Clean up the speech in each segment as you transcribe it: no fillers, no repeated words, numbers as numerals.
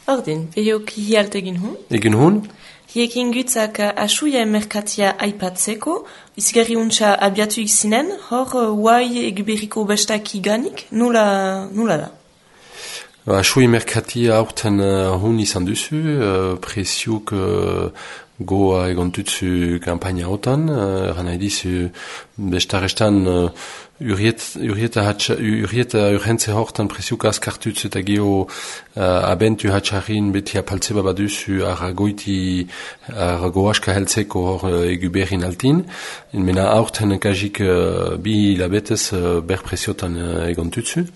Ordin, behok hialt egin hun? Egin hun? Hiekin gutzak asuia merkatia aipatzeko, izgarri untsa abiatu izinen, hor huai eguberriko bestak iganik, nula da? Asui merkatia aurten hun izan duzu, presiuk goa egon tutsu kampaina otan, eran nahi dizu bestarestan Urieta urgentze hortan presiuk askartutz eta geho abentu hatxarrin beti apaltzeba baduzu arrago aska heltzeko hor eguberrin altin. Mena aurten kajik bi hilabetez ber presiotan egon tutsu.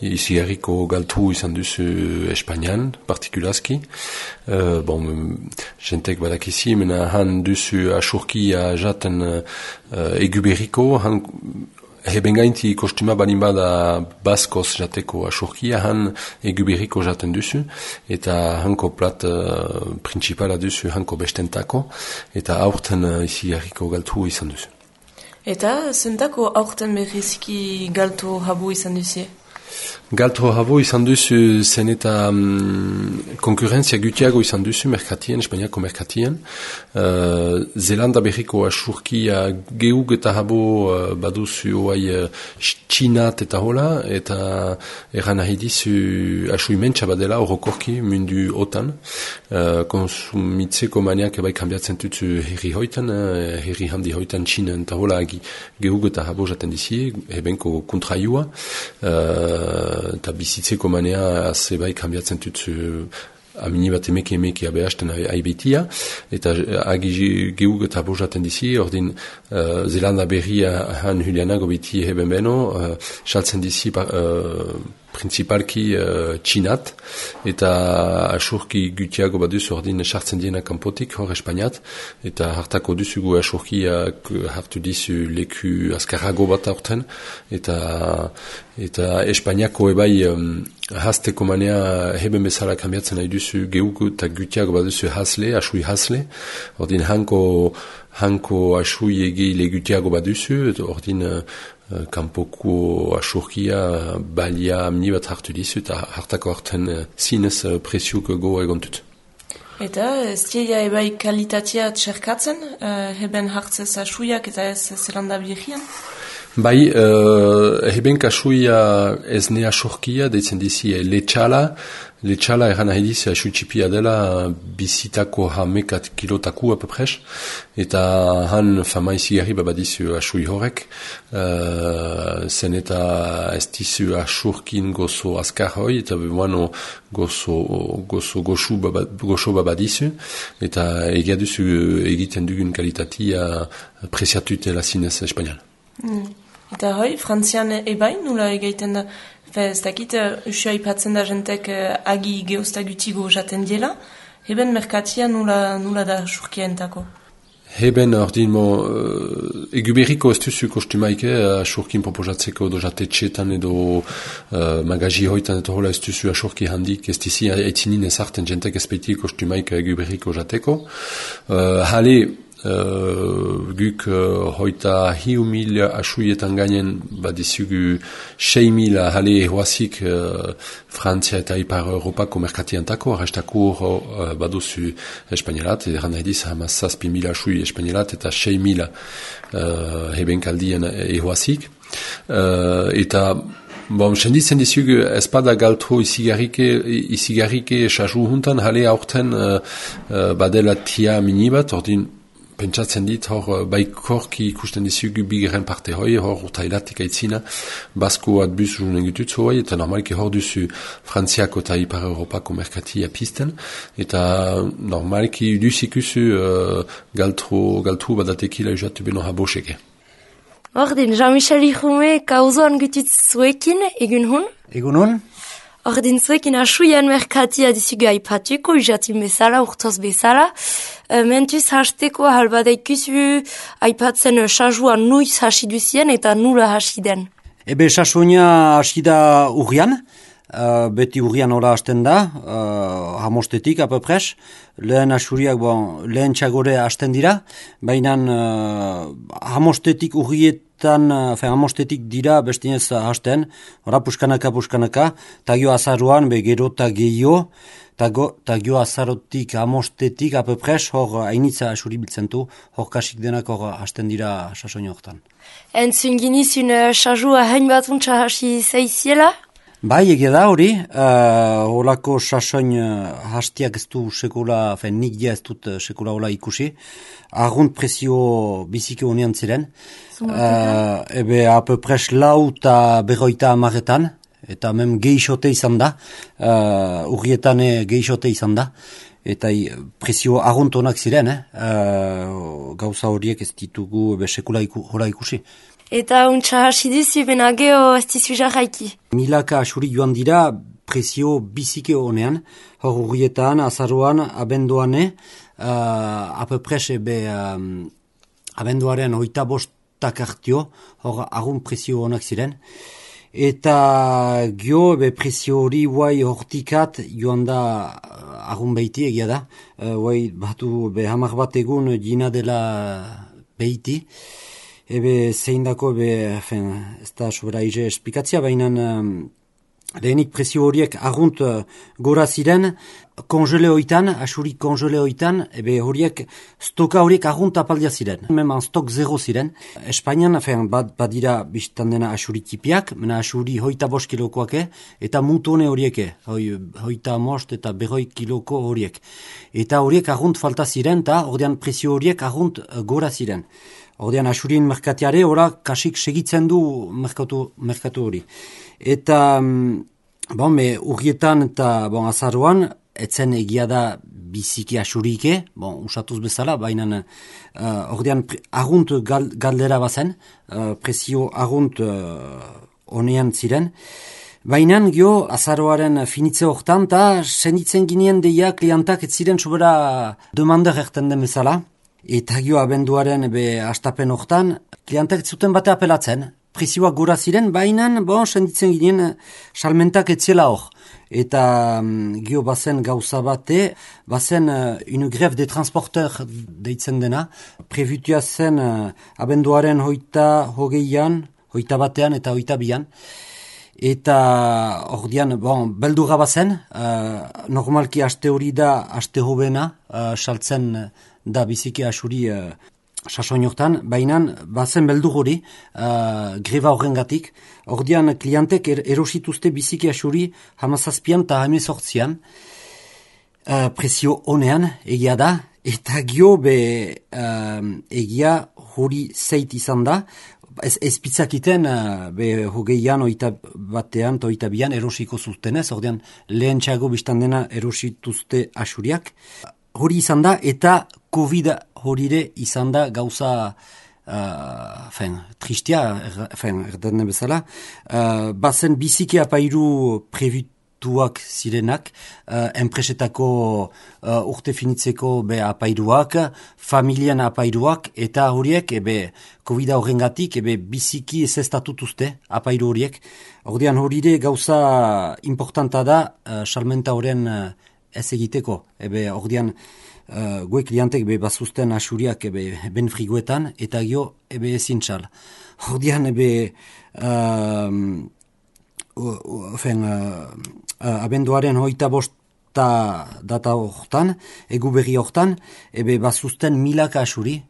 Izigarriko galtu izan duzu Espainian, partikulazki. Jentek badakizi, mena han duzu asurkia jaten eguberriko, han heben gainti kostuma balin bada baskoz jateko asurkia, han eguberriko jaten duzu, eta hanko plat principala duzu hanko bestentako, eta aurten izigarriko galtu izan duzu. Eta zentako aurten berrizki galtu habu izan duzie? Galto habo izan duzu zen eta konkurrentzia gutiago izan duzu merkatien, Espainiako merkatien. Zelanda berriko asurkia geug eta habo baduzu oai txinat eta hola, eta eran nahi dizu asu imentsa badela orokorki mundu otan. Konsumitzeko maniak ebai kambiatzen tutzu herri hoitan, herri handi hoitan txinan eta hola geug eta habo jaten dizi, ebenko kontraiua. Eta bizitzeko manea zebai kambiatzen tutzu amini bat emeki abeasten aibetia, eta agi geug eta bojaten dizi, ordin Zelanda berria han Julianago beti heben beno, saltzen dizi principalki txinat, eta asurki gutiago baduz ordin sartzen diena kanpotik hor Espainiat, eta hartako duzugu asurkiak hartu dizu leku azkarrago bat aurten, eta Espainiako ebai hasteko manea heben bezala kambiatzen nahi duzu geuk eta gutiago baduzu hasle, asui hasle, ordin hanko asui egile gutiago baduzu, ordin kanpoko asurkia balia amni bat hartu dizu, eta hartako harten zinez presiuk go egon dut. Eta ez dira ebai kalitatea txerkatzen, heben hartzez asuiak eta ez Zelanda berrian? Bai, heben kasuia ez ne asurkia, deitzen dizi letxala eran nahi dizi asutxipia dela bizitako hamekat kilotaku apapres, eta han fama izigarri babadizu asui horrek, zen eta ez dizu asurkin gozo azkar hoi, eta bemoano gozo goxo babadizu, eta egia duzu egiten dugun kalitatea presiatutela zinez Espainian. Eta hoi, Frantzian ebai nula egiten da, ez dakit, usua ipatzen da jentek agi geostagutigo jaten diela, heben merkatia nula da surkientako? Heben ordin eguberriko ez duzu kostumaike asurkin proposatzeko do jatetxetan edo magazi hoitan eta hola ez duzu asurki handik ez dizi aitzinin ezarten jentek ezpeiti kostumaike eguberriko jateko. Hale, guk hoita 1.000 asuietan gainen badizugu 6.000 hale ehoazik Frantzia eta Ipar Europako merkatiantako, arrestako baduzu Espainelat, eran nahi diz 7.000 asui Espainelat eta 6.000 hebenkaldien ehoazik. Eta senditzen dizugu espada galtro izigarrike esasu juntan, hale aurten badela tia minibat, ordin pentsatzen dit hor baikorki ikusten dizugu bigeren parte hoi, hor urtailatik aitzina, basko atbuz junen gututzu hoi, eta normalki hor duzu Frantziako eta Ipar Europako merkatia pisten, eta normalki duzikusu galtru badatekila usatu beno haboseke. Ordin, Jean-Michel Irume kauzoan gututzuekin, egun hun? Egun hun? Ordin zuekin asuian merkatia dizugu aipatuko, usatin bezala, urtoz bezala. Mentuz hasteko halbadeikuzu aipatzen sasua nuiz hasi duzien eta nula hasi den. Ebe sasuina hasi da urrian, beti urrian hola hasten da, hamostetik apapres. Lehen asuriak, lehen txagore hasten dira, baina hamostetik hamostetik dira bestinez hasten, ora puskanaka, tagio azaruan, gero eta gehiago, Ta gio azarotik, amostetik, apepres, hor hainitza asuri biltzen du, hor kasik denak hor hasten dira sasoin hortan. Entzun ginizun sajua hain batuntza hasi zeiziela? Bai, egia da hori, holako sasoin hastiak ez du sekula, nik dia ez dut sekula hola ikusi, argunt presio biziki honean ziren, ebe apepres lau eta berroita amaretan, eta mem geixote izan da, urrietan geixote izan da, eta presio argunt honak ziren, gauza horiek ez ditugu sekula hola ikusi. Eta untsa hasi dizu, bena geho ez dizu jarraiki. Milaka asuri joan dira presio bizike honean, hor urrietan, azaruan, abenduane, apepres abenduaren 25 hartio, hor agun presio honak ziren. Eta gio, presio hori guai hortikat joan da agun behiti egia da. Guai batu hamar bat egun jina dela behiti. Ebe zein dako, ez da sobera ize espikatzia, baina lehenik presio horiek argunt gora ziren, konjele hoitan, asuri konjele hoitan, ebe horiek stoka horiek argunt apaldia ziren. Meman stok zero ziren. Espainian, badira biztan dena asuri tipiak, mena asuri 25 kilokoak, eta mutone horiek, hoita most eta 100 kiloko horiek. Eta horiek argunt falta ziren, eta ordean presio horiek argunt gora ziren. Ordean asurien merkatiare, ora kasik segitzen du merkatu hori. Eta, urrietan eta azaruan, etzen egia da biziki asurike, usatuz bezala, baina ordean argunt galdera bazen, presio argunt honean ziren. Baina gio azaroaren finitze hortan, eta senditzen ginen deia klientak ez ziren sobera demander erten den bezala. Eta gio abenduaren astapen hortan, klientak zuten bate apelatzen, presioak gora ziren, baina, senditzen ginen, salmentak etziela hor. Eta gio bazen gauza bate, bazen une greve de transporteur deitzen dena, prebutua zen abenduaren hogeian, hoita batean eta hoita bian. Eta ordian, beldurra bazen, normalki aste hori da, aste hobena, saltzen da biziki asuri sasoin hortan, baina bazen beldur hori greba horrengatik. Ordian klientek erosituzte biziki asuri 17an eta 18an presio honean egia da, eta gio egia hori zeit izan da, ez pitzakiten hogeian, oita batean eta oita bian erosiko zuztenez, ordean lehen txago biztan dena erosituzte asuriak. Hori izan da, eta COVID horire izan da gauza tristia, erden bezala. Bazen biziki apairu prebutuak zirenak, enpresetako urte finitzeko apairuak, familien apairuak, eta horiek COVID horrengatik biziki ezestatutuzte apairu horiek. Ordean horire gauza importanta da, salmenta horren ez egiteko, ordean gue klientek bazuzten asuriak ben friguetan, eta gio ezin txal. Ordean abenduaren 25 data hortan, egu berri hortan, bazuzten milaka asuri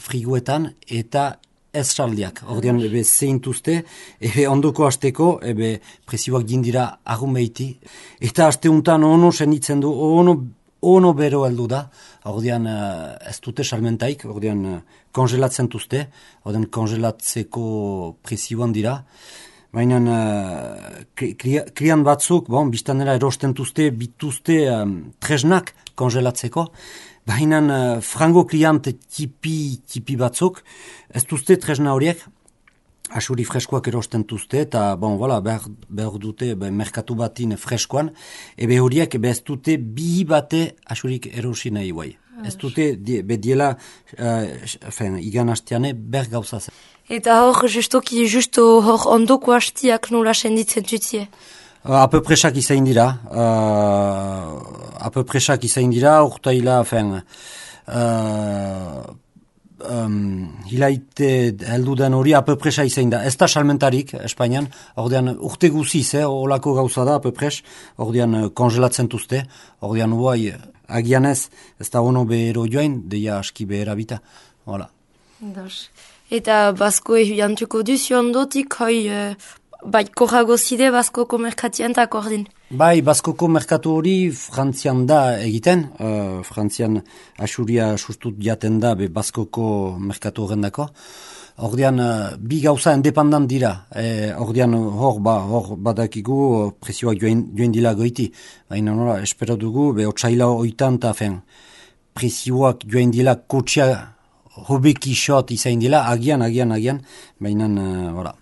friguetan eta ez saldiak. Ordean zeintuzte, ondoko hasteko, presioak dindira argun behiti. Eta haste untan ono senditzen du, ono bero heldu da, ordean ez dute salmentaik, ordean kongelatzen duzte, ordean kongelatzeko presioan dira. Baina klian batzuk, biztanera erosten duzte, bituzte tresnak kongelatzeko, baina frango kliant tipi batzuk, ez duzte tresna horiek, asuri freskoak erosten duzte, eta behar dute merkatu batin freskoan, horiek ez dute bi bate asurik erosi nahi guai. Ez dute diela igan hasteane ber gauzazen. Eta hor, justo hor ondoko hastiak nola senditzen tutie? Apepresak izain dira, urtaila, hilaite heldu den hori apepresa izain da. Ez da salmentarik Espainian, ordean urte guziz, olako gauza da apepres, ordean kongelatzen tuzte, ordean huai agianez, ez da ono behero joain, deia aski behera bita. Voilà. Eta basko jantuko duzu ondotik, bai, korrago zide baskoko merkatien eta akordin? Bai, baskoko merkatu hori Frantzian da egiten, Frantzian asuria sustut jaten da be baskoko merkatu horrendako. Ordean, bi gauza independent dira. Ordean, hor badakigu presioak joen dila goiti. Baina nola, espero dugu, be otsaila oitan eta presioak joen dila kotxea hobeki shot izain dila, agian, baina, voilà.